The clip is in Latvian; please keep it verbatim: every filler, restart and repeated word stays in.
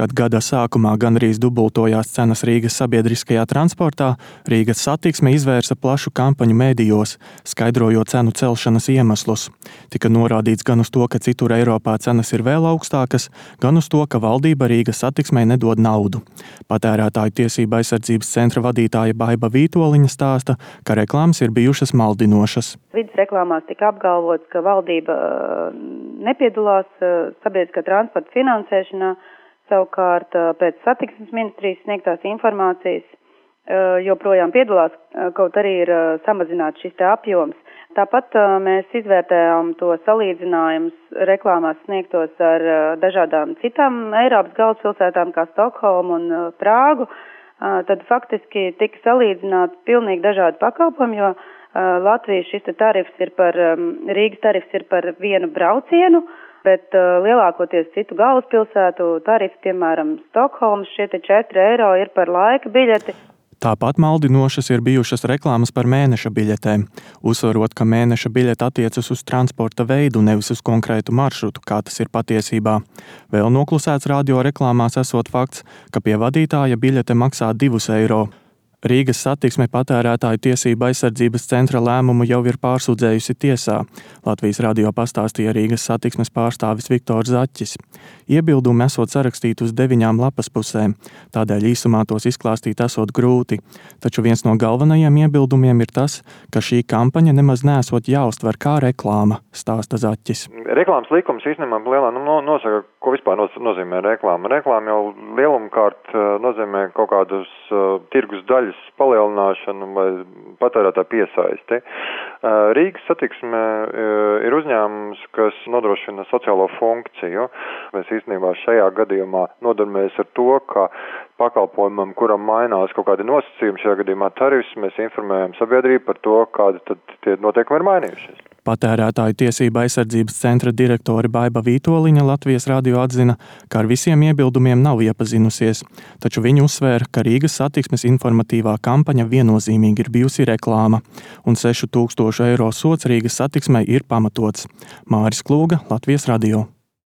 Kad gada sākumā gandrīz dubultojās cenas Rīgas sabiedriskajā transportā, Rīgas Satiksme izvērsa plašu kampaņu mēdījos, skaidrojot cenu celšanas iemeslus. Tika norādīts gan uz to, ka citur Eiropā cenas ir vēl augstākas, gan uz to, ka valdība Rīgas Satiksmei nedod naudu. Patērētāju tiesību aizsardzības centra vadītāja Baiba Vītoliņa stāsta, ka reklāmas ir bijušas maldinošas. Vides reklāmās tika apgalvots, ka valdība nepiedalās sabiedriskā transporta finansēšanā. Savukārt pēc satiksmes ministrijas sniegtās informācijas joprojām piedalās, kaut arī ir samazināts šis te apjoms. Tāpat mēs izvērtējām to salīdzinājumus reklāmās sniegtos ar dažādām citām Eiropas galvaspilsētām, kā Stokholmu un Prāgu. Tad faktiski tika salīdzināts pilnīgi dažādi pakalpojumi, jo Latvijas šis tarifs ir par, Rīgas tarifs ir par vienu braucienu, bet uh, lielākoties citu galvaspilsētu tarifi, piemēram, Stokholmas, šie te četri eiro ir par laika biļeti. Tāpat maldinošas ir bijušas reklāmas par mēneša biļetēm, uzsverot, ka mēneša biļete attiecas uz transporta veidu, nevis uz konkrētu maršrutu, kā tas ir patiesībā. Vēl noklusēts radio reklāmās esot fakts, ka pie vadītāja biļete maksā divus eiro. Rīgas Satiksme patērētāju tiesību aizsardzības centra lēmumu jau ir pārsūdzējusi tiesā. Latvijas radio pastāstīja Rīgas Satiksmes pārstāvis Viktors Zaķis. Iebildumi esot sarakstīti uz deviņām lapas pusēm, tādēļ īsumā tos izklāstīt esot grūti. Taču viens no galvenajiem iebildumiem ir tas, ka šī kampaņa nemaz nesot jāuztver kā reklāma, stāsta Zaķis. Reklāmas likums īstenībā lielā nu, nosaka, ko vispār nozīmē reklāma. Reklāma jau lielumkārt nozīmē kaut kādus uh, tirgus daļas palielināšanu vai patērētāju piesaisti. Rīgas Satiksme ir uzņēmums, kas nodrošina sociālo funkciju. Mēs īstenībā šajā gadījumā nodarbojamies ar to, ka pakalpojumam, kuram mainās kaut kādi nosacījumi, šajā gadījumā tarifs, mēs informējam sabiedrību par to, kādi tad tie noteikumi ir mainījušies. Patērētāju tiesību aizsardzības centra direktore Baiba Vītoliņa Latvijas radio atzina, ka ar visiem iebildumiem nav iepazinusies, taču viņa uzsvēra, ka Rīgas Satiksmes informatīvā kampaņa viennozīmīgi ir bijusi reklāma, un sešu tūkstošu eiro sods Rīgas Satiksmei ir pamatots. Māris Klūga, Latvijas radio.